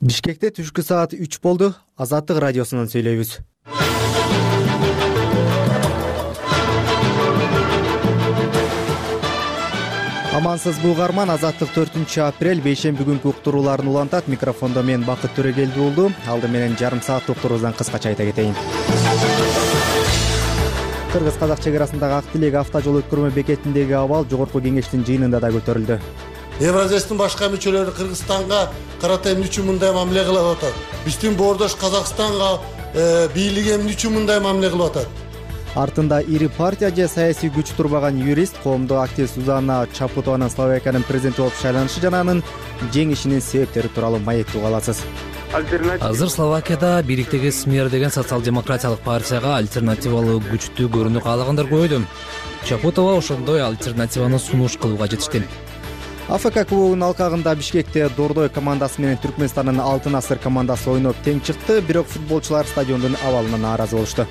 Бишкекте түшкү саат 3 болду. Азаттык радиосунан сүйлөйбүз. Амансыз бугарман, Азаттык 4-апрель бейшемби күнкү уктурууларын улантат. Микрофондо мен Бакыт Төрөгелди болду. Алды менен жарым саат уктуруубуздан кыскача айта кетейин. Кыргыз-казак чек арасындагы Ак Тилек автожол өткөрмө бекетиндеги абал жогорку кеңештин жыйынында да көтөрүлдү. Евразиядын башка мүчөлөрү Кыргызстанга карата эмне үчүн мындай мамиле кылып атат? Биздин боордош Казакстанга бийлиги эмне үчүн мындай мамиле кылып атат? Артында ири партия же саясий күч турбаган юрист, коомдук активист Сузанна Чапутованын Словакиянын президенти болуп шайланышы жана анын жеңишинин себептери тууралуу маектеп аласыз. Азыр Словакияда бириктеги СМЕР деген социал-демократиялык партияга альтернативалуу күчтүү көрүнүү каалагандар көбөйдү. Чапутова ошондой альтернативаны сунуш кылууга жетишти. АФК кубогунун алкагында Бишкекте Дордой командасы менен Түркмөнстандын Алтын асыр командасы ойноп тең чыкты, бирок футболчулар стадиондун абалына нааразы болушту.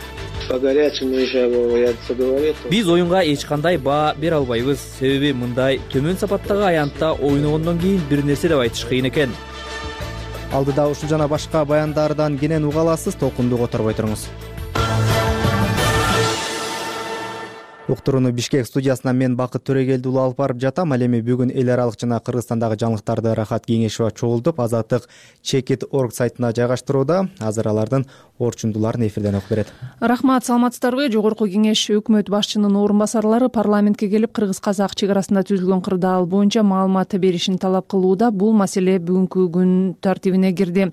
Биз оюнга эч кандай баа бере албайбыз. Себеби мындай төмөн сапаттагы аянтта ойногондон кийин бир нерсе деп айтыш кыйын экен. Алдыда ушул жана башка баяндардан кенен уга аласыз, толкунду которбой туруңуз. Уктурууну Бишкек студиясынан мен Бакыт Төрөгелди уулу алып барып жатам. Ал эми бүгүн эл аралык жана Кыргызстандагы жаңылыктарды Рахат Кеңешова чогултуп, Азаттык Чекит.org сайтына жайгаштырууда. Азыр алардын орчундуларын эфирден окуп берет. Рахмат, саламатсыздарбы? Жогорку кеңеш өкмөт башчынын орун басарлары парламентке келип Кыргыз-казак чек арасында түзүлгөн кырдаал боюнча маалымат беришин талап кылууда. Бул маселе бүгүнкү күн тартибине кирди.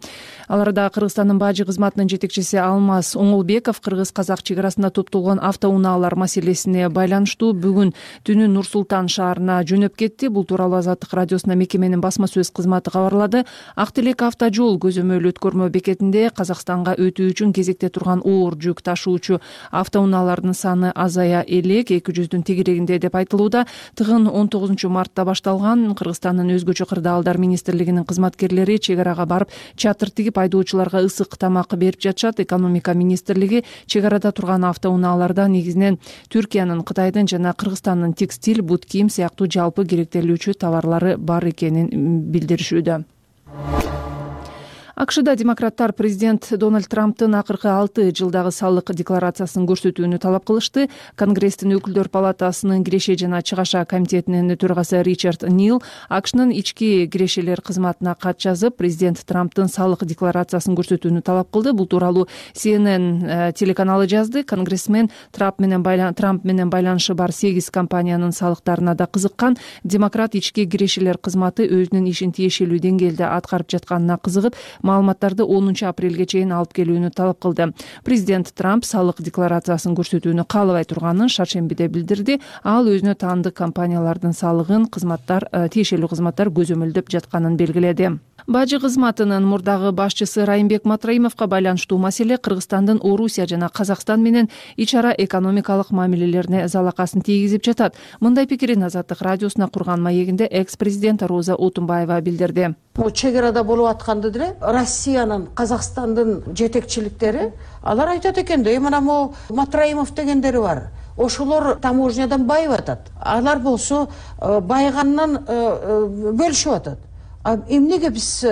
Аларда Кыргызстандын бажы кызматынын жетекчиси Алмаз Оңолбеков Кыргыз-казак чек арасында топтолгон автоунаалар маселесине байланыштуу бүгүн түнү Нур-Султан шаарына жөнөп кетти. Бул тууралуу Азаттык радиосуна мекеменин басма сөз кызматы кабарлады. Ак Тилек автожол көзөмөл өткөрмө бекетинде Казакстанга өтүү үчүн кезекте турган оор жүк ташуучу автоунаалардын саны азая элек, 200-дүн тегерегинде деп айтылууда. Тыгын 19 мартта башталган. Кыргызстандын өзгөчө кырдаалдар министрлигинин кызматкерлери чек арага барып чатыр тигип айдоочуларга ысык тамак берип жатышат. Экономика министрлиги чек арада турган автоунааларда негизинен Түркиянын, Кытайдын жана Кыргызстандын текстиль, бут кийим сыяктуу жалпы керектелүүчү товарлары бар экенин билдиришүүдө. АКШда демократтар президент Дональд Трамптын акыркы 6 жылдагы салык декларациясын көрсөтүүнү талап кылышты. Конгресстин өкүлдөр палатасынын киреше жана чыгаша комитетинин төрагасы Ричард Нил АКШнын ички кирешелер кызматына кат жазып, президент Трамптын салык декларациясын көрсөтүүнү талап кылды. Бул тууралуу CNN телеканалы жазды. Конгрессмен Трамп менен байланышы бар 8 компаниянын салыктарына да кызыккан. Демократ ички кирешелер кызматы өзүнүн ишин тиешелүү деңгээлде аткарып жатканына кызыгып, маалыматтарды 10 апрелге чейин алып келүүнү талап кылды. Президент Трамп салык декларациясын көрсөтүүнү каалабай турганын шаршембиде билдирди. Ал өзүнө таандык компаниялардын салыгын тиешелүү кызматтар көзөмөлдөп жатканын белгиледи. Бажы кызматынын мурдагы башчысы Райымбек Матраимовго байланыштуу маселе Кыргызстандын Орусия жана Казакстан менен ич ара экономикалык мамилелерине залакасын тийгизип жатат. Мындай пикирин Азаттык радиосуна курган маегинде экс-президент Роза Отунбаева билдирди. Чек арада болуп атканды деле Россиянын, Казакстандын жетекчиликтери алар айтат экен да, мына могу Матраимов дегендери бар. Ошолор таможнядан байып атат. Алар болсо байгандан бөлүшүп атат. Эмнеге биз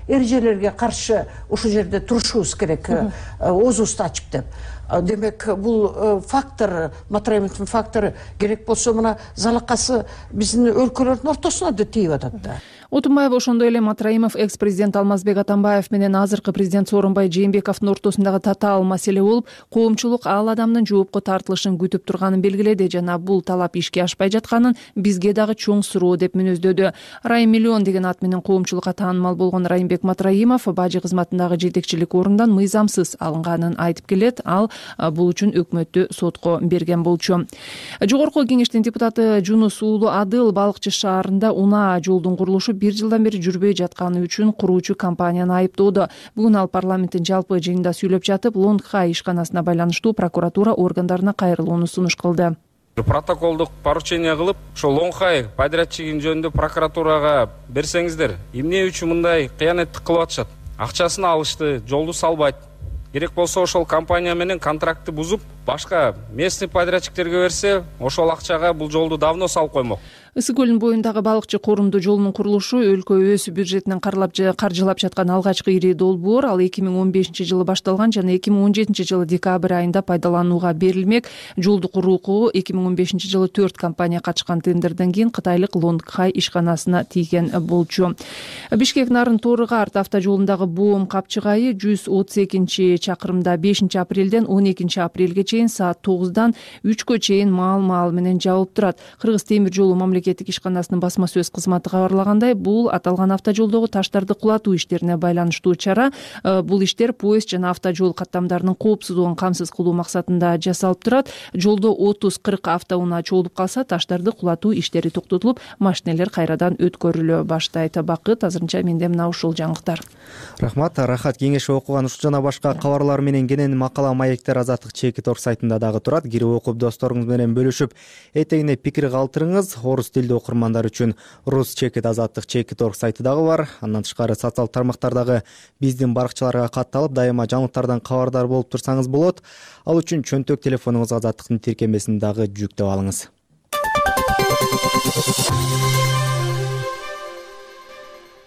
эрежелерге каршы ушул жерде турушубуз керек, оозубузду ачып деп. Демек, бул фактор, Матраимовдун фактору керек болсо мына залакасы биздин өлкөлөрдүн ортосуна да тийип атат да. Отунбаев ошондой эле Матраимов экс-президент Алмазбек Атамбаев менен азыркы президент Сооронбай Жээнбековдун ортосундагы татаал маселе болуп, коомчулук ал адамдын жоопко тартылышын күтүп турганын белгиледи жана бул талап ишке ашпай жатканын бизге дагы чоң суроо деп мүнөздөдү. Райым Миллион деген ат менен коомчулукка таанымал болгон Райымбек Матраимов бажы кызматындагы жетекчилик орундан мыйзамсыз алынганын айтып келет. Ал бул үчүн өкмөттү сотко берген болчу. Жогорку кеңештин депутаты Жунус уулу Адыл Балыкчы шаарында унаа жолдун курулушу 1 жылдан бери жүрбөй жатканы үчүн куруучу компанияны айыптоодо. Бүгүн ал парламенттин жалпы жыйынында сүйлөп жатып, Лонгхай ишканасына байланыштуу прокуратура органдарына кайрылууну сунуш кылды. Протоколдук поручение кылып, ошо Лонгхай подрядчигин жөнүндө прокуратурага берсеңиздер, эмне үчүн мындай кыянаттык кылып атышат? Акчасын алышты, жолду салбайт. Керек болсо ошол компания менен контрактты бузуп, башка местный подрядчиктерге берсе, ошол акчага бул жолду давно салып коймок. Ысык көлүнүн боюндагы балыкчы корумдуу жолунун курулушу өлкө өз бюджетинен каржылап жаткан алгачкы ири долбоор. Ал 2015-жылы башталган жана 2017-жылы декабрь айында пайдаланууга берилмек. Жолду курууга 2015-жылы 4 компания катышкан тендерден кийин кытайлык Лонгхай ишканасына тийген болчу. Бишкек Нарын Тооры-Карт автожолундагы боом капчыгайы 132-чакырымда 5-апрелден 12-апрелге чейин саат 9-дан 3-кө чейин маал менен жабылып турат. Кыргыз темир жолу мамлекеттик ишканасынын басма сөз кызматы кабарлагандай, бул аталган автожолдогу таштарды кулатуу иштерине байланыштуу чара. Бул иштер поезд жана автожол каттамдарынын коопсуздугун камсыз кылуу максатында жасалып турат. Жолдо 30-40 автоунаа чогулуп калса, таштарды кулатуу иштери токтотулуп, машинелер кайрадан өткөрүлө баштайт. Бакыт, азырынча менде мына ушул жаңылыктар. Рахмат. Рахат Кеңешова окуган ушул жана башка кабарлар менен кенен макала маектер Азаттык Чекит орг сайтында дагы турат. Кирип окуп досторуңуз менен бөлүшүп, этегине пикир калтырыңыз. Орус тилдүү окурмандар үчүн Рус Чекит Азаттык Чекит орг сайты дагы бар. Андан тышкары социалдык тармактардагы биздин баракчаларга катталып, дайыма жаңылыктардан кабардар болуп турсаңыз болот. Ал үчүн чөнтөк телефонуңузга Азаттыктын тиркемесин дагы жүктөп алыңыз.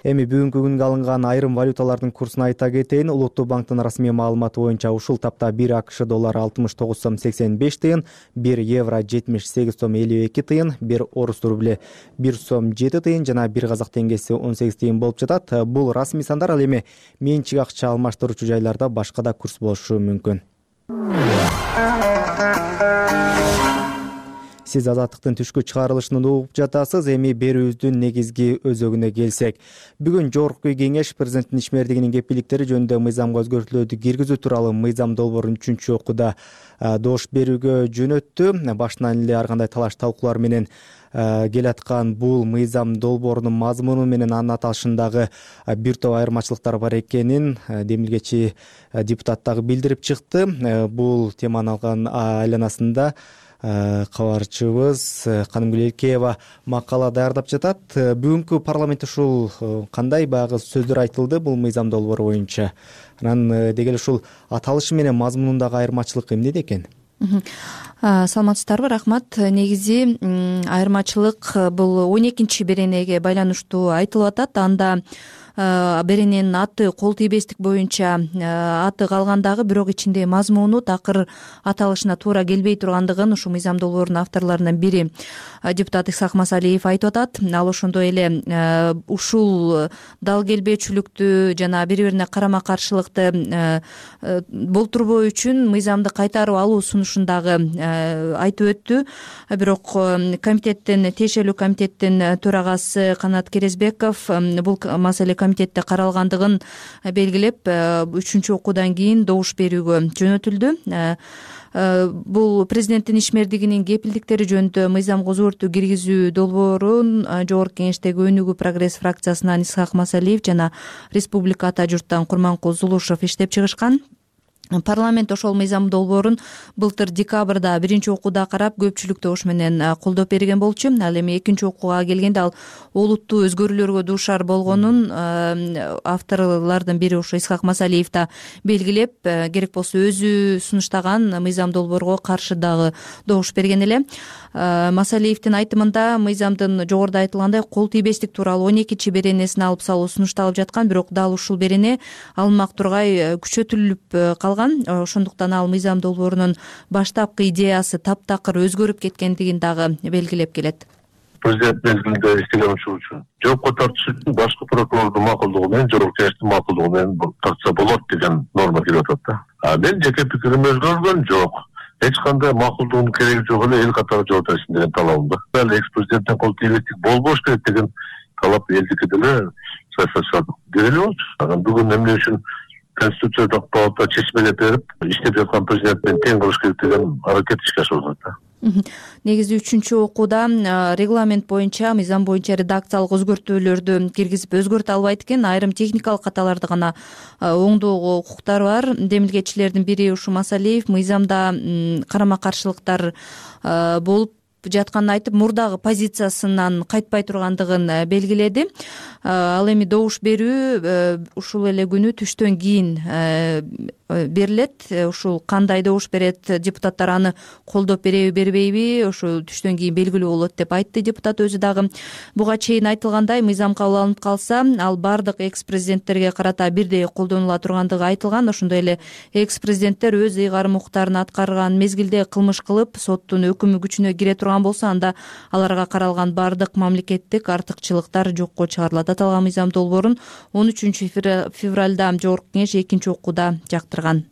Эми бүгүнкү күнгө алынган айрым валюталардын курсун айта кетейин. Улуттук банктын расмий маалыматы боюнча ушул тапта 1 АКШ доллары 69 сом 85 тыйын, 1 евро 78 сом 52 тыйын, 1 орус рубле 1 сом 7 тыйын жана 1 казак теңгеси 18 тыйын болуп жатат. Бул расмий сандар. Ал эми менчик акча алмаштыруучу жайларда башка да курс болушу мүмкүн. Сиз Азаттыктын түшкү чыгарылышын угуп жатасыз. Эми берүүбүздүн негизги өзөгүнө келсек, бүгүн жогорку кеңеш президенттин ишмердигинин кепилдиктери жөнүндө мыйзамга өзгөртүүлөрдү киргизүү тууралуу мыйзам долбоорун 3-окууда добуш берүүгө жөнөттү. Башынан эле ар кандай талаш талкуулар менен келаткан бул мыйзам долбоорунун мазмуну менен анын аталышындагы бир топ айырмачылыктар бар экенин демилгечи депутат дагы билдирип чыкты. Бул теманы алган айланасында кабарчыбыз Канымгүл Элкеева макала даярдап жатат. Бүгүнкү парламентте ушул кандай баягы сөздөр айтылды бул мыйзам долбоору боюнча? Анан деги эле ушул аталышы менен мазмунундагы айырмачылык эмнеде экен? Саламатсыздарбы? Рахмат. Негизи айырмачылык бул 12-беренеге байланыштуу айтылып атат. Анда берененин аты кол тийбестик боюнча аты калгандагы, бирок ичинде мазмуну такыр аталышына туура келбей тургандыгын ушул мыйзам долбоорунун авторлорунун бири депутат Исхак Масалиев айтып атат. Ал ошондой эле ушул дал келбөөчүлүктү жана бири-бирине карама каршылыкты болтурбоо үчүн мыйзамды кайтарып алуу сунушун дагы айтып өттү. Бирок комитеттин, тиешелүү комитеттин төрагасы Канат Керезбеков бул маселе комитетте каралгандыгын белгилеп, 3-окуудан кийин добуш берүүгө жөнөтүлдү. Бул президенттин ишмердигинин кепилдиктери жөнүндө мыйзамга өзгөртүү киргизүү долбоорун жогорку кеңештеги Өнүгүү прогресс фракциясынан Исхак Масалиев жана Республика Ата журттан Курманкул Зулушев иштеп чыгышкан. Парламент ошол мыйзам долбоорун былтыр декабрда 1-окууда карап, көпчүлүк добуш менен колдоп берген болчу. Ал эми 2-окууга келгенде ал олуттуу өзгөрүүлөргө дуушар болгонун авторлордун бири ошо Исхак Масалиев да белгилеп, керек болсо өзү сунуштаган мыйзам долбоорго каршы дагы добуш берген эле. Масалиевдин айтымында мыйзамдын жогоруда айтылгандай кол тийбестик тууралуу 12-беренесин алып салуу сунушталып жаткан, бирок дал ушул берене алынмак тургай күчөтүлүп калган. Ошондуктан ал мыйзам долбоорунун баштапкы идеясы таптакыр өзгөрүп кеткендигин дагы белгилеп келет. Президент мезгилинде иштеген үчүн жоопко тартыш үчүн башкы прокурордун макулдугу менен жогорку кеңештин макулдугу менен тартса болот деген норма кирип атат да. Мен жеке пикирим өзгөргөн жок. Эч кандай макулдугунун кереги жок эле эл катары жооп беришин деген талабым да. Экс президенттен кол тийбестик болбош керек деген талап элдики деле деле болчу. Анан бүгүн эмне үчүн Конституциялык палата чечмелеп берип, иштеп жаткан президент менен тең кылыш керек деген аракет ишке ашырылат да. Негизи 3-окууда регламент боюнча, мыйзам боюнча редакциялык өзгөртүүлөрдү киргизип өзгөртө албайт экен. Айрым техникалык каталарды гана оңдоого укуктары бар. Демилгечилердин бири ушу Масалиев мыйзамда карама каршылыктар болуп жатканын айтып, мурдагы позициясынан кайтпай тургандыгын белгиледи. Ал эми добуш берүү ушул эле күнү түштөн кийин берилет. Ушул кандай добуш берет, депутаттар аны колдоп береби бербейби, ошол түштөн кийин белгилүү болот деп айтты депутат өзү дагы. Буга чейин айтылгандай, мыйзам кабыл алынып калса, ал бардык экс-президенттерге карата бирдей колдонула тургандыгы айтылган. Ошондой эле экс-президенттер өз ыйгарым укуктарын аткарган мезгилде кылмыш кылып, соттун өкүмү күчүнө кире турган болсо, анда аларга каралган бардык мамлекеттик артыкчылыктар жокко чыгарылат. Аталган мыйзам долбоорун 13-февралда Жогорку Кеңеш экинчи окууда жактырган.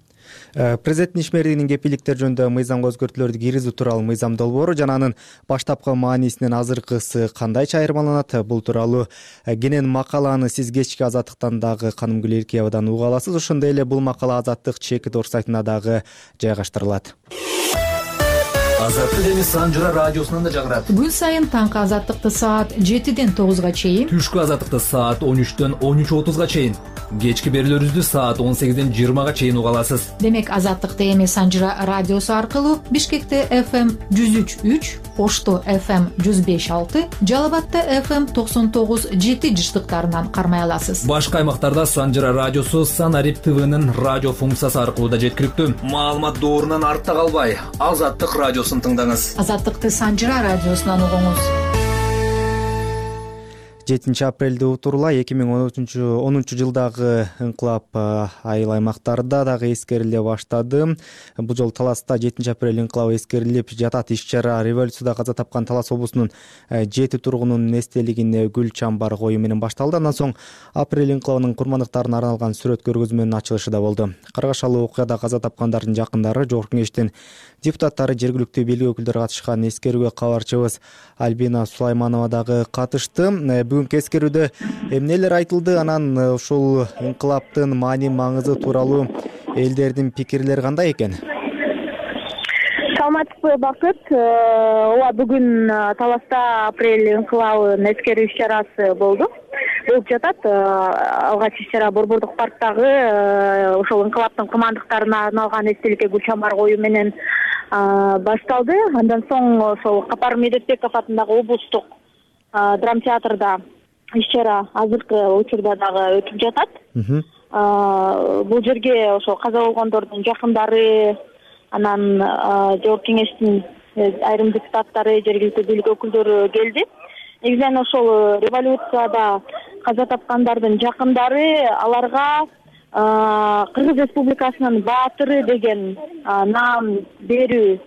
Президенттин ишмердигинин кепилдиктер жөнүндө мыйзамга өзгөртүүлөрдү киргизүү тууралуу мыйзам долбоору жана анын баштапкы маанисинен азыркысы кандайча айырмаланат? Бул тууралуу кенен макаланы сиз кечки Азаттыктан дагы Каным Гүл Эркиевадан уга аласыз. Ошондой эле бул макала Азаттык чекит орг сайтына дагы жайгаштырылат. Азаттык эми Санжыра радиосунан да жагырат. Күн сайын таңкы Азаттыкты саат 7-ден 9-га чейин, түшкү Азаттыкты саат 13-төн 13:30-га чейин, кечки берүүлөрүбүздү саат 18-ден 20-га чейин уга аласыз. Демек Азаттыкты эми Санжыра радиосу аркылуу Бишкекте FM 103.3, Ошто FM 105.6, Жалал-Абадта FM 99.7 жыштыктарынан кармай аласыз. Башка аймактарда Санжыра радиосу Санарип ТВнын радио функциясы аркылуу да жеткиликтүү. Маалымат доорунан артта калбай, Азаттык радиосун тыңдаңыз. Азаттыкты Санжыра радиосунан угуңуз. 7 апрелде утурула 2010 жылдагы ыңкылап айыл аймактарда дагы эскериле баштады. Бул жолу Таласта 7 апрель ыңкылабы эскерилип жатат. Иш-чара революцияда каза тапкан Талас облусунун 7 тургунунун эстелигине гүл чамбар коюу менен башталды. Андан соң апрель ыңкылабынын курмандыктарына арналган сүрөт көргөзмөнүн ачылышы да болду. Каргашалуу окуяда каза тапкандардын жакындары, Жогорку Кеңештин депутаттары, жергиликтүү бийлик өкүлдөрү катышкан эскерүүгө кабарчыбыз Альбина Сулайманова дагы катышты. Бүгүнкү эскерүүдө эмнелер айтылды, анан ушул ыңкылаптын маани маңызы тууралуу элдердин пикирлери кандай экен? Саламатсызбы, Бакыт. Ооба, бүгүн Таласта апрель ыңкылабынын эскерүү иш-чарасы болду. Болуп жатат. Алгач иш-чара Борбордук парктагы ошол ыңкылаптын курмандыктарына арналган эстеликке гүл чамбар коюу менен башталды. Андан соң ошол Капар Медетбеков атындагы облустук драма театрда иш-чара азыркы учурда дагы өтүп жатат. Бул жерге ошол каза болгондордун жакындары, анан Жогорку Кеңештин айрым депутаттары, жергиликтүү бийлик өкүлдөрү келди. Негизинен ошол революцияда каза тапкандардын жакындары аларга Кыргыз Республикасынын баатыры деген наам берүү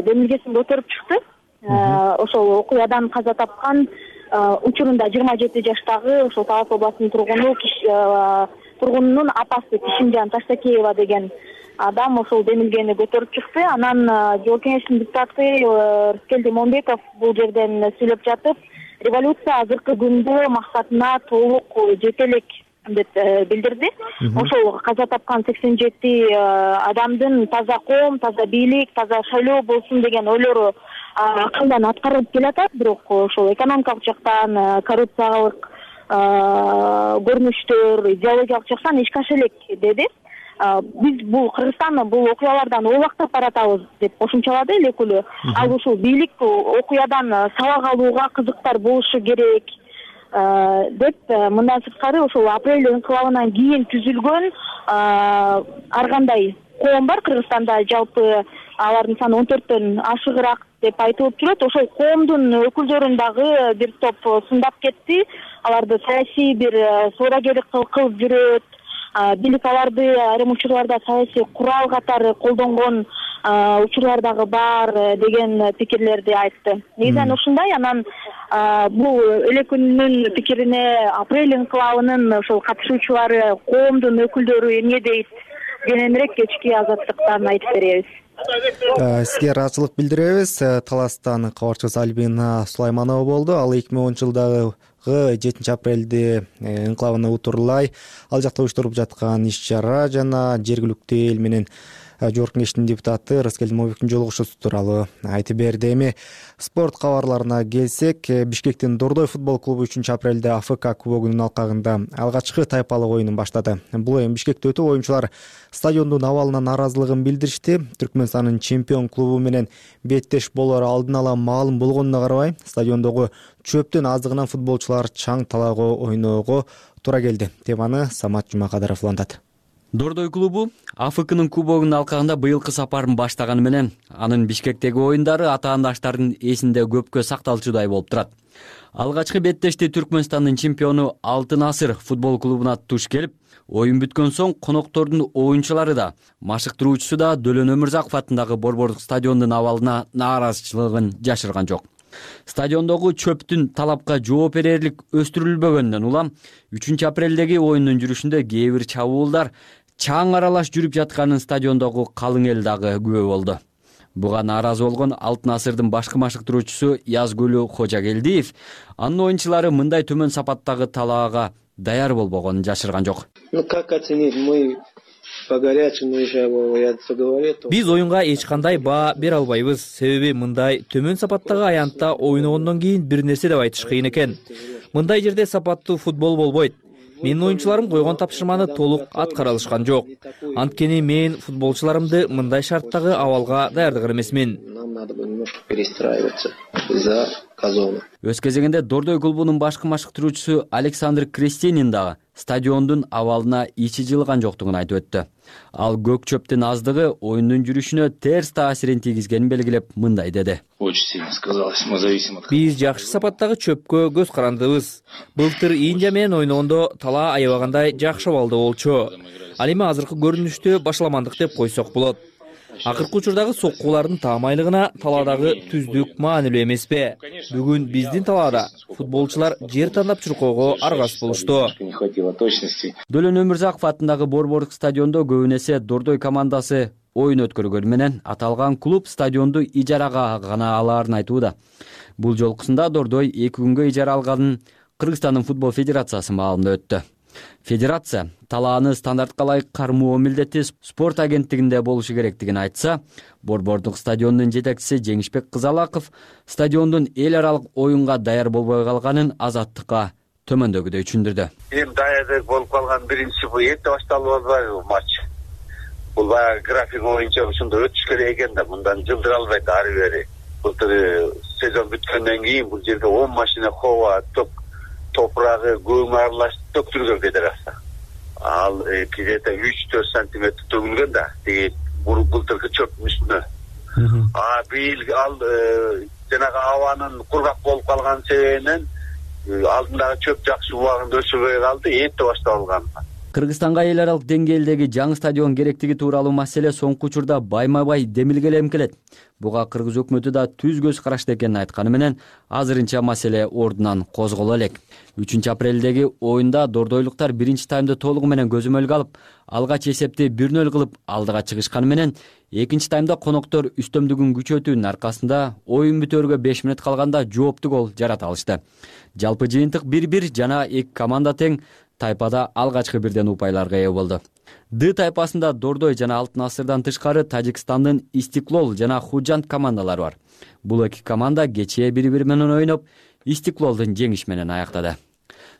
демилгесин көтөрүп чыкты. Ошол окуядан каза тапкан учурунда 27 жаштагы ошол Талас областынын тургунунун апасы Кишимжан Таштакеева деген адам ошол демилгени көтөрүп чыкты. Анан Жогорку Кеңештин депутаты Рыскелди Момбеков бул жерден сүйлөп жатып, революция азыркы күндө максатына толук жете элек деп билдирди. Ошол каза тапкан 87 адамдын таза коом, таза бийлик, таза шайлоо болсун деген ойлору акылдан аткарылып келатат, бирок ошол экономикалык жактан, коррупциялык көрүнүштөр, идеологиялык жактан эчке аша элек деди. Биз бул Кыргызстан бул окуялардан убактап баратабыз деп кошумчалады эл өкүлү. Ал ушул бийлик окуядан сабак алууга кызыктар болушу керек деп, мындан сырткары ошол апрель ыңкылабынан кийин түзүлгөн ар кандай коом бар Кыргызстанда, жалпы алардын саны 14төн ашыгыраак деп айтылып жүрөт. Ошол коомдун өкүлдөрүн дагы бир топ сындап кетти. Аларды саясий бир соорагерлик кылып жүрөт. Бийлик аларды айрым учурларда саясий курал катары колдонгон учурлар дагы бар деген пикирлерди айтты. Негизинен ушундай. Анан бул эл өкүлүнүн пикирине апрель ыңкылабынын ошол катышуучулары, коомдун өкүлдөрү эмне дейт? Кененирээк кечки Азаттыктан айтып беребиз. Сизге ыраазычылык билдиребиз. Таластан кабарчыбыз Альбина Сулайманова болду. Ал 2010 жылдагы 7 апрелде ыңкылабына утурлай ал жакта уюштуруп жаткан иш-чара жана жергиликтүү эл менен Жогорку Кеңештин депутаты Рыскелди Момбековдун жолугушуусу тууралуу айтып берди. Эми спорт кабарларына келсек, Бишкектин Дордой футбол клубу 3-апрелде АФК кубогунун алкагында алгачкы тайпалык оюнун баштады. Бул оюн Бишкекте өтүп, оюнчулар стадиондун абалына нааразылыгын билдиришти. Түркмөнстандын чемпион клубу менен беттеш болору алдын ала маалым болгонуна карабай, стадиондогу чөптүн аздыгынан футболчулар чаң талаага ойноого туура келди. Теманы Самат Жумакадыров улантат. Дордой клубу АФКнын кубогунун алкагында быйылкы сапарын баштаганы менен анын Бишкектеги оюндары атаандаштардын эсинде көпкө сакталчудай болуп турат. Алгачкы беттешти Түркмөнстандын чемпиону Алтын Асыр футбол клубуна туш келип, оюн бүткөн соң коноктордун оюнчулары да, машыктыруучусу да Дөлөн Өмүрзаков атындагы Борбордук стадиондун абалына нааразычылыгын жашырган жок. Стадиондогу чөптүн талапка жооп берерлик өстүрүлбөгөндөн улам 3-апрелдеги оюндун жүрүшүндө кээ бир чабуулдар чаң аралаш жүрүп жатканын стадиондогу калың эл дагы күбө болду. Буга нааразы болгон Алтын Асырдын башкы машыктыруучусу Язгүлү Кожагелдиев анын оюнчулары мындай төмөн сапаттагы талаага даяр болбогонун жашырган жок. Как оценить? Мы по горячему уже, я говорю. Биз оюнга эч кандай баа бере албайбыз. Себеби мындай төмөн сапаттагы аянтта ойногондон кийин бир нерсе деп айтыш кыйын экен. Мындай жерде сапаттуу футбол болбойт. Менин оюнчуларым койгон тапшырманы толук аткара алышкан жок. Анткени мен футболчуларымды мындай шарттагы абалга даярдаган эмесмин. Нам надо немножко перестраиваться за газону. Өз кезегинде Дордой клубунун башкы машыктыруучусу Александр Крестинин дагы стадиондун абалына ичи жылган жоктугун айтып өттү. Ал көк чөптүн аздыгы оюндун жүрүшүнө терс таасирин тийгизгенин белгилеп мындай деди. Биз жакшы сапаттагы чөпкө көз карандыбыз. Былтыр Индия менен ойногондо талаа аябагандай жакшы абалда болчу. Ал эми азыркы көрүнүштө башаламандык деп койсок болот. Акыркы учурдагы соккулардын таамайлыгына талаадагы түздүк маанилүү эмеспи? Бүгүн биздин талаада футболчулар жер тандап чуркоого аргасыз болушту. Дөлөн Өмүрзаков атындагы Борбордук стадиондо көбүн эсе Дордой командасы оюн өткөргөнү менен аталган клуб стадионду ижарага гана алаарын айтууда. Бул жолкусунда Дордой 2 күнгө ижара алганын Кыргызстандын футбол федерациясы маалымдап өттү. Федерация талааны стандартка ылайык кармоо милдети спорт агенттигинде болушу керектигин айтса, Борбордук стадиондун жетекчиси Жеңишбек Кызалаков стадиондун эл аралык оюнга даяр болбой калганын Азаттыкка төмөндөгүдөй түшүндүрдү. Эми даярдык болуп калган биринчи бул эрте башталып атпайбы матч. Бул баягы график боюнча ушундай өтүш керек экен да, мындан жылдыра албайт ары бери. Былтыр сезон бүткөндөн кийин бул жерге 10 машина хова, топурагы, көң аралаш төктүргөн федерация. Ал где-то 3-4 сантиметр төгүлгөн да, тиги былтыркы чөптүн үстүнө. Быйыл ал жанагы абанын кургак болуп калган себебинен алдындагы чөп жакшы убагында өсүбөй калды, эрте башталган. Кыргызстанга эл аралык деңгээлдеги жаңы стадион керектиги тууралуу маселе соңку учурда байма-бай демилгелем келет. Буга кыргыз өкмөтү да түз көз карашты экенин айтканы менен азырынча маселе ордунан козголо элек. 3-апрелдеги оюнда дордойлуктар биринчи таймды толугу менен көзөмөлгө алып, алгач эсепти 1-0 кылып алдыга чыгышканы менен, экинчи таймда коноктор үстөмдүгүн күчөтүүнүн аркасында оюн бүтөөргө 5 мүнөт калганда жооптуу гол жарата алышты. Жалпы жыйынтык 1-1 жана 2 команда тең тайпада алгачкы бирден упайларга ээ болду. Д тайпасында Дордой жана Алтын Асырдан тышкары Тажикстандын Истиклол жана Худжант командалары бар. Бул эки команда кечээ бири-бири менен ойноп, Истиклолдун жеңиш менен аяктады.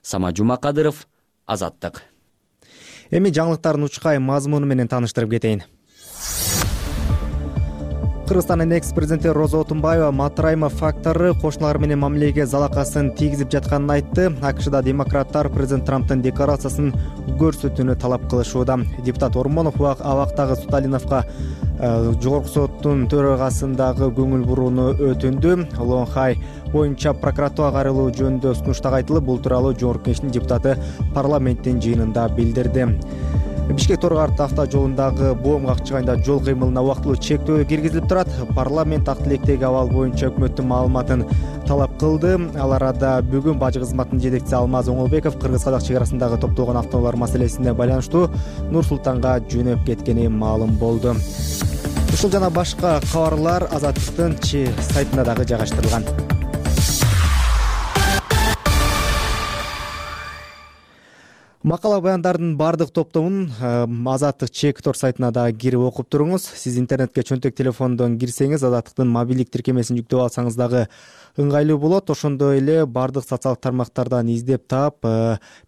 Самат Жумакадыров, Азаттык. Эми жаңылыктардын учкай мазмуну менен тааныштырып кетейин. Кыргызстандын экс-президенти Роза Отунбаева Матраимов фактору кошуналары менен мамилеге залакасын тийгизип жатканын айтты. АКШда демократтар президент Трамптын декларациясын көрсөтүүнү талап кылышууда. Депутат Ормонов абактагы Сталиновго жогорку соттун төрагасындагы көңүл бурууну өтүндү. Лонхай боюнча прокуратурага кайрылуу жөнүндө сунуштар айтылып, бул тууралуу Жогорку Кеңештин депутаты парламенттин жыйынында билдирди. Бишкек Торгарт автожолундагы боом какчыгайында жол кыймылына убактылуу чектөө киргизилип турат. Парламент ак тилектеги абал боюнча өкмөттүн маалыматын талап кылды. Ал арада бүгүн бажы кызматынын жетекчиси Алмаз Оңолбеков кыргыз-казак чек арасындагы топтолгон автоунаалар маселесине байланыштуу Нур Султанга жөнөп кеткени маалым болду. Ушул жана башка кабарлар Азаттыктын сайтында дагы жайгаштырылган. Макала баяндардын баардык топтомун Азаттык Чекит сайтына да кирип окуп туруңуз. Сиз интернетке чөнтөк телефондон кирсеңиз, Азаттыктын мобилдик тиркемесин жүктөп алсаңыз дагы ыңгайлуу болот. Ошондой эле баардык социалдык тармактардан издеп таап,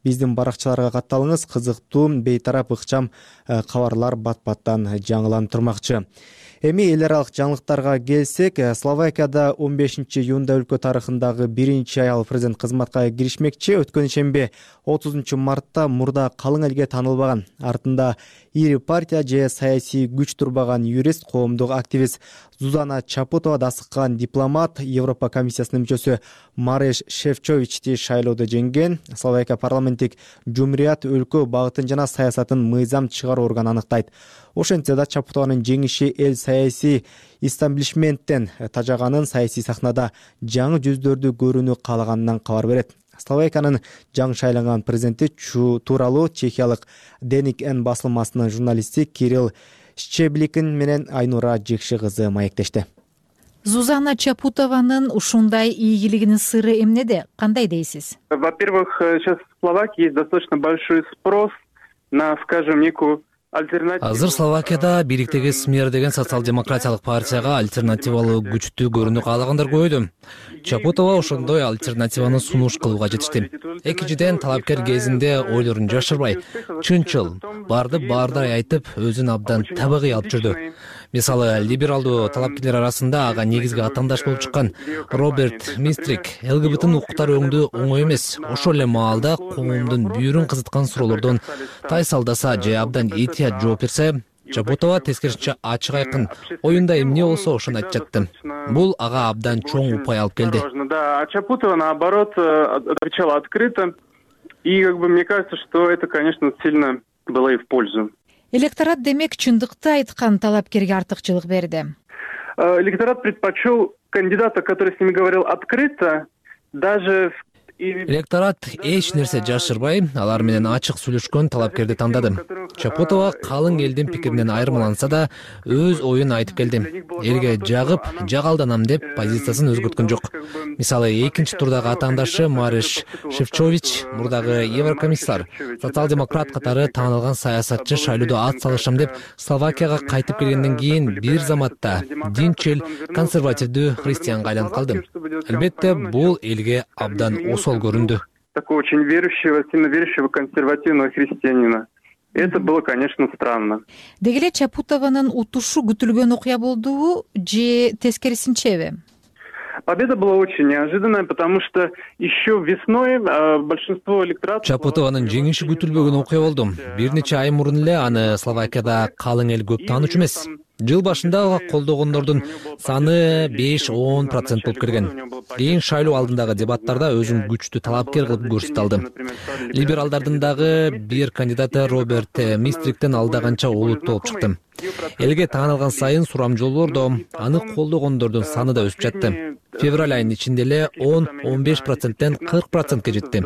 биздин баракчаларга катталыңыз. Кызыктуу, бейтарап, ыкчам кабарлар бат-баттан жаңыланып турмакчы. Эми эл аралык жаңылыктарга келсек, Словакияда 15-июнда өлкө тарыхындагы биринчи аял президент кызматка киришмекчи. Өткөн шембе 30-мартта мурда калың элге таанылбаган, артында ири партия же саясий күч турбаган юрист, коомдук активист Зузана Чапутова да асыккан дипломат, Европа комиссиясынын мүчөсү Мареш Шефчовичти шайлоодо жеңген. Словакия парламенттик жумурият өлкө багытын жана саясатын мыйзам чыгаруу органы аныктайт. Ошентсе да Чапутованын жеңиши эл саясий истаблишменттен тажаганын, саясий сахнада жаңы жүздөрдү көрүүнү каалаганынан кабар берет. Словакиянын жаңы шайланган президенти тууралуу чехиялык Деник Н басылмасынын журналисти Кирилл Щебликин менен Айнура Жекши кызы маектешти. Зузана Чапутованын ушундай ийгилигинин сыры эмнеде? Кандай дейсиз? Во-первых, сейчас в Словакии есть достаточно большой спрос на, скажем, некую Азыр Словакияда бириктеги СМЕР деген социал-демократиялык партияга альтернативалуу күчтүү көрүүнү каалагандар көбөйдү. Чапутова ошондой альтернативаны сунуш кылууга жетишти. Экинчиден, талапкер кезинде ойлорун жашырбай, чынчыл, барды баардай айтып, өзүн абдан табигый алып жүрдү. Мисалы, либералдуу талапкерлер арасында ага негизги атаандаш болуп чыккан Роберт Мистрик ЛГБТ укуктар өңдүү оңой эмес. Ошол эле маалда коомдун бүйүрүн кызыткан суроолордон тайсалдаса же абдан этият жооп берсе, Чапутова тескерисинче ачык айкын, оюнда эмне болсо ошону айтып жатты. Бул ага абдан чоң упай алып келди. Да, а Чапутова, наоборот, отвечала открыто. И, мне кажется, что это, конечно, сильно было и в пользу. Электорат демек чындыкты айткан талапкерге артыкчылык берди. Электорат предпочел кандидата, который с ними говорил открыто, даже Электорат эч нерсе жашырбай, алар менен ачык сүйлөшкөн талапкерди тандады. Чапутова калың элдин пикиринен айырмаланса да, өз оюн айтып келди. Элге жагып, жагалданам деп позициясын өзгөрткөн жок. Мисалы, экинчи турдагы атаандашы Мареш Шефчович, мурдагы еврокомиссар, социал-демократ катары таанылган саясатчы шайлоодо ат салышам деп Словакияга кайтып келгенден кийин бир заматта динчил, консервативдүү христианга айланып калды. Албетте, бул элге абдан осол көрүндү. Такого очень верующего, сильно верующего консервативного христианина. Это было, конечно, странно. Деги эле Чапутованын утушу күтүлгөн окуя болдубу же тескерисинчеби? Победа была очень неожиданная, потому что еще весной большинство электората... Чапутованын жеңиши күтүлбөгөн окуя болду. Бир нече ай мурун эле аны Словакияда калың эл көп таанычу эмес. Жыл башында колдогондордун саны 5-10% болуп келген. Кийин шайлоо алдындагы дебаттарда өзүн күчтүү талапкер кылып көрсөтө алды. Либералдардын дагы бир кандидаты Роберт Мистриктен алдаганча олуттуу болуп чыкты. Элге таанылган сайын сурамжылоордо аны колдогондордун саны да өсүп жатты. Февраль айынын ичинде эле 10-15%тен 40%ке жетти.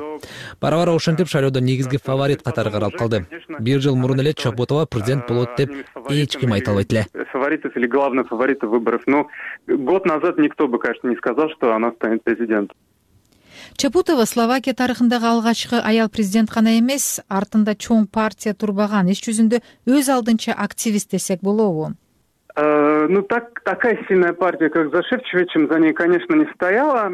Бара-бара ошентип шайлоодо негизги фаворит катары каралып калды. Бир жыл мурун эле Чапутова президент болот деп эч ким айта албайт эле. Фаворитов или главных фаворитов выборов. Но год назад никто бы, конечно, не сказал, что она станет президентом. Чапутова Словакия тарыхындагы алгачкы аял президент гана эмес, артында чоң партия турбаган, иш жүзүндө өз алдынча активист десек болобу? Ну, такая сильная партия, как за Шефчовичем, за ней, конечно, не стояла.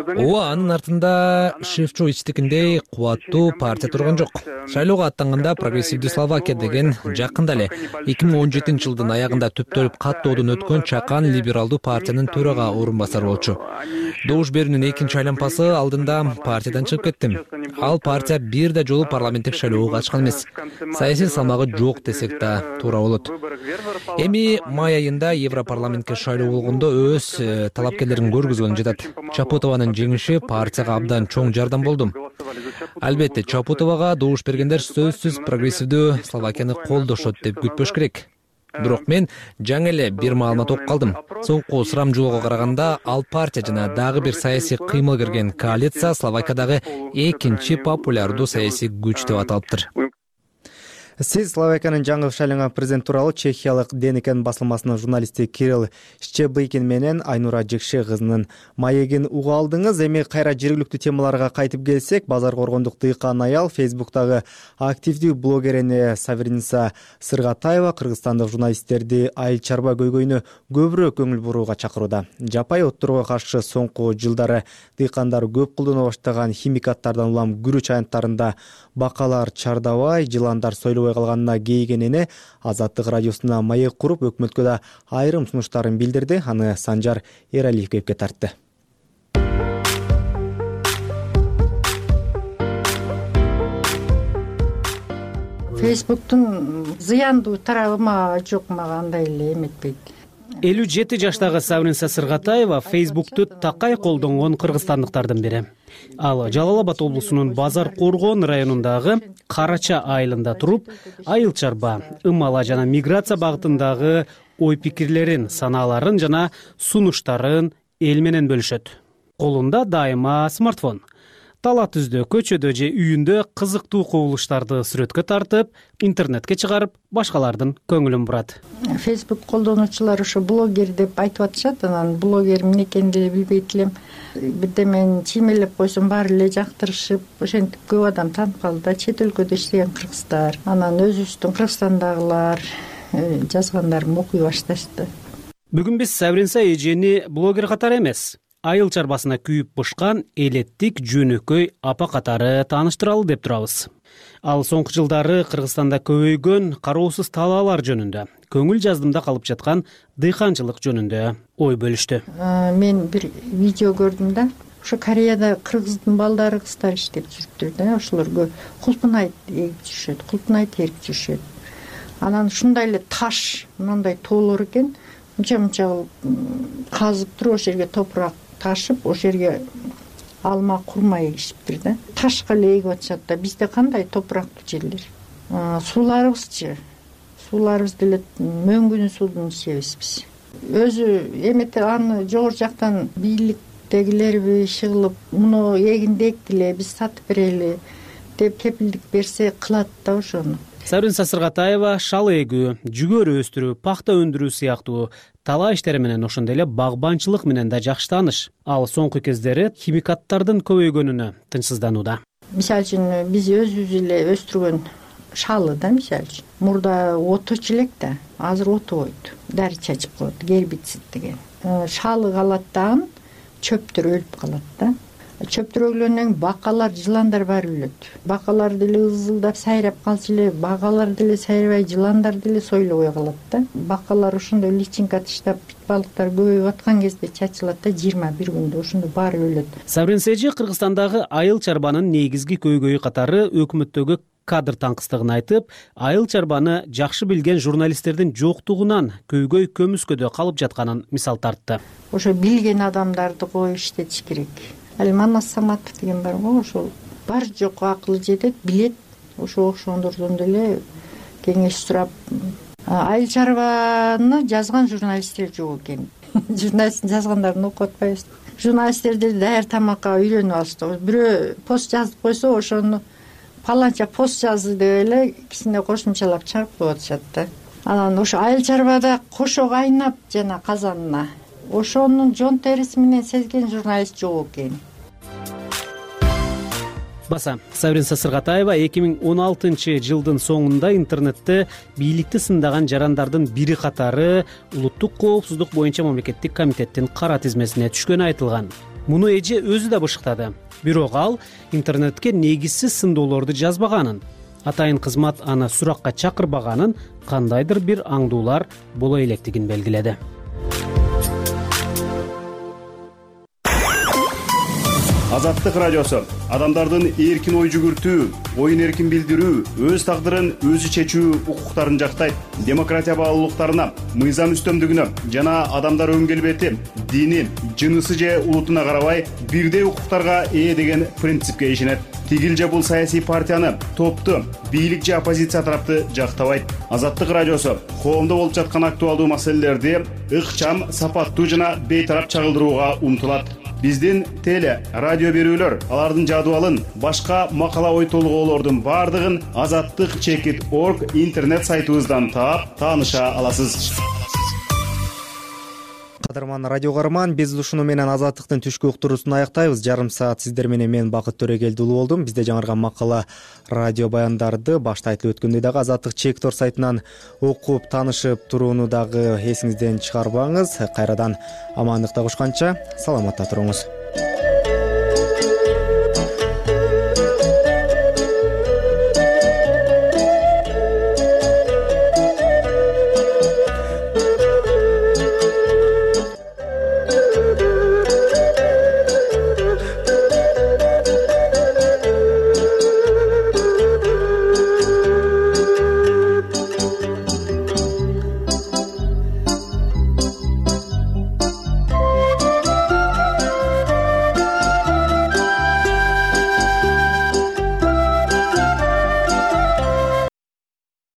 Ооба, анын артында Шефчовичтикиндей кубаттуу партия турган жок. Шайлоого аттанганда Прогрессивдүү Словакия деген жакында эле 2017-жылдын аягында түптөлүп каттоодон өткөн чакан либералдуу партиянын төрага орун басары болчу. Добуш берүүнүн экинчи айланпасы алдында партиядан чыгып кетти. Ал партия бир да жолу парламенттик шайлоого катышкан эмес. Саясий салмагы жок десек да туура болот. Эми май айында Европарламентке шайлоо болгондо өз талапкерлерин көргөзгөн жатат. Чапутованын жеңиши партияга абдан чоң жардам болду. Албетте, Чапутовага добуш бергендер сөзсүз прогрессивдүү Словакияны колдошот деп күтпөш керек. Бирок мен жаңы эле бир маалымат окуп калдым. Соңку сурамжылоого караганда ал партия жана дагы бир саясий кыймыл кирген коалиция Словакиядагы экинчи популярдуу саясий күч деп аталыптыр. Сиз Словакиянын жаңы шайланган президент тууралуу Чехиялык Денекен басылмасынын журналисти Кирилл Щебыкин менен Айнура Жекше кызынын маегин уга алдыңыз. Эми кайра жергиликтүү темаларга кайтып келсек, базар коргондук дыйкан аял Фейсбуктагы активдүү блогерине Савриница Сыргатаева кыргызстандык журналисттерди айыл чарба көйгөйүнө көбүрөөк көңүл бурууга чакырууда. Жапай отторго каршы соңку жылдары дыйкандар көп колдоно баштаган химикаттардан улам күрүч аянттарында бакалар чардабай, жыландар сойлобой калганына кейигенине Азаттык радиосуна маек куруп, өкмөткө да айрым сунуштарын билдирди. Аны Санжар Эралиев кепке тартты. Фейсбуктун зыяндуу тарабы жок, мага андай эле эметпейт. 57 жаштагы Савриница Сыргатаева Фейсбукту такай колдонгон кыргызстандыктардын бири. Ал Жалал Абад облусунун Базар Коргон районундагы Карача айылында туруп, айыл чарба, ымала жана миграция багытындагы ой пикирлерин, санааларын жана сунуштарын эл менен бөлүшөт. Колунда дайыма смартфон. Тала түздө, көчөдө же үйүндө кызыктуу кубулуштарды сүрөткө тартып, интернетке чыгарып, башкалардын көңүлүн бурат. Фейсбук колдонуучулар ошо блогер деп айтып атышат, анан блогер эмне экенин деле билбейт элем. Бирдемени чиймелеп койсом баары эле жактырышып, ошентип көп адам таанып калды да, чет өлкөдө иштеген кыргыздар. Анан өзүбүздүн Кыргызстандагылар жазгандарын окуй башташты. Бүгүн биз Савриница эжени блогер катары эмес, айыл чарбасына күйүп бышкан элеттик жөнөкөй апа катары тааныштыралы деп турабыз. Ал соңку жылдары Кыргызстанда көбөйгөн кароосуз талаалар жөнүндө, көңүл жаздымда калып жаткан дыйканчылык жөнүндө ой бөлүштү. Мен бир видео көрдүм да, ошо Кореяда кыргыздын балдары кыздар иштеп жүрүптүр да, ошолорго кулпунайт эгип жүрүшөт, кулпунайт терип жүрүшөт. Анан ушундай эле таш, мындай тоолор экен, мынча казып туруп ошол жерге топурак ташып, ошол жерге алма, курма эгишиптир да. Ташка эле эгип атышат да. Бизде кандай топурактуу жерлер. Сууларыбызчы? Сууларыбыз деле мөңгүнү суудан ичебиз биз. Өзү эмете аны жогору жактан бийликтегилерби чыгылып, муну эгиндек деле биз сатып берели деп кепилдик берсе кылат да ошону. Савриница Сыргатаева шал эгүү, жүгөрү өстүрүү, пахта өндүрүү сыяктуу талаа иштери менен ошондой эле багбанчылык менен да жакшы тааныш. Ал соңку кездери химикаттардын көбөйгөнүнө тынчсызданууда. Мисалы үчүн биз өзүбүз эле өстүргөн шалы да, мисалы үчүн мурда отучу элек да, азыр отубойт. Дари чачып коет, гербицид деген. Шалы калат дагы, чөптөр өлүп калат да. Чөптөр өлгөндөн кийин бакалар, жыландар баары өлөт. Бакалар деле ызылдап сайрап калчу эле, бакалар деле сайрабай, жыландар деле сойлобой калат да. Бакалар ошондой личинка таштап, балыктар көбөйүп аткан кезде чачылат да, 21 күндө ошондо баары өлөт. Савриница эже Кыргызстандагы айыл чарбанын негизги көйгөйү катары өкмөттөгү кадр таңкыстыгын айтып, айыл чарбаны жакшы билген журналисттердин жоктугунан көйгөй көмүскөдө калып жатканын мисал тартты. Ошо билген адамдарды коюп иштетиш керек. Ал Манас Саматов деген бар го, ошол бар жок акылы жетет, билет. Ошо ошондордон деле кеңеш сурап, айыл чарбаны жазган журналисттер жок экен. Журналисттин жазгандарын окуп атпайбыз. Журналисттер деле даяр тамакка үйрөнүп алышты. Бирөө пост жазып койсо, ошону паланча пост жазды деп эле кичине кошумчалап чыгарып коюп атышат да. Анан ошо айыл чарбада кошо кайнап жана казанына ошонун жон териси менен сезген журналист жок экен. Баса, Савриница Сыргатаева 2016 жылдын соңунда интернетте бийликти сындаган жарандардын бири катары улуттук коопсуздук боюнча мамлекеттик комитеттин кара тизмесине түшкөнү айтылган. Муну эже өзү да бышыктады. Бирок ал интернетке негизсиз сындоолорду жазбаганын, атайын кызмат аны суракка чакырбаганын, кандайдыр бир аңдуулар боло электигин белгиледи. Азаттык радиосу адамдардын эркин ой жүгүртүү, оюн эркин билдирүү, өз тагдырын өзү чечүү укуктарын жактайт. Демократия баалуулуктарына, мыйзам үстөмдүгүнө жана адамдар өн келбети, дини, жынысы же улутуна карабай бирдей укуктарга ээ деген принципке ишенет. Тигил же бул саясий партияны, топту, бийлик же оппозиция тарапты жактабайт. Азаттык радиосу коомдо болуп жаткан актуалдуу маселелерди ыкчам, сапаттуу жана бейтарап чагылдырууга умтулат. биздин теле радио берүүлөр, алардын жадыбалын, башка макала ой толгоолордун баардыгын azattik.org интернет сайтыбыздан таап тааныша аласыз. Кадырман радио каарман, биз ушуну менен Азаттыктын түшкү уктуруусун аяктайбыз. Жарым саат сиздер менен мен Бакыт Төрөгелди уулу болдум. Бизде жаңырган макала, радио баяндарды башта айтылып өткөндөй дагы Азаттык.org сайтынан окуп таанышып турууну дагы эсиңизден чыгарбаңыз. Кайрадан амандыкта кушканча саламатта туруңуз.